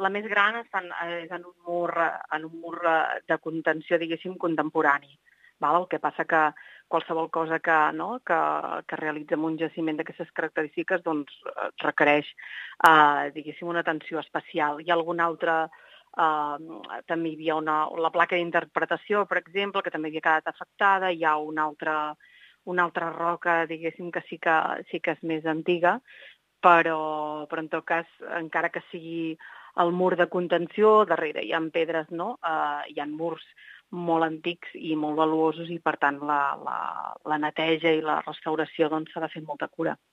la més gran és en un mur de contenció, diguéssim, contemporani. Val? El que passa que qualsevol cosa que realitza un jaciment d'aquestes característiques doncs, requereix, diguéssim, una atenció especial. Hi ha alguna altra... també hi havia la placa d'interpretació, per exemple, que també havia quedat afectada. Hi ha una altra roca, diguéssim, que sí que és més antiga, però en tot cas, encara que sigui el mur de contenció, darrere hi ha pedres, no? Hi ha murs molt antics i molt valuosos i, per tant, la neteja i la restauració doncs, s'ha de fer amb molta cura.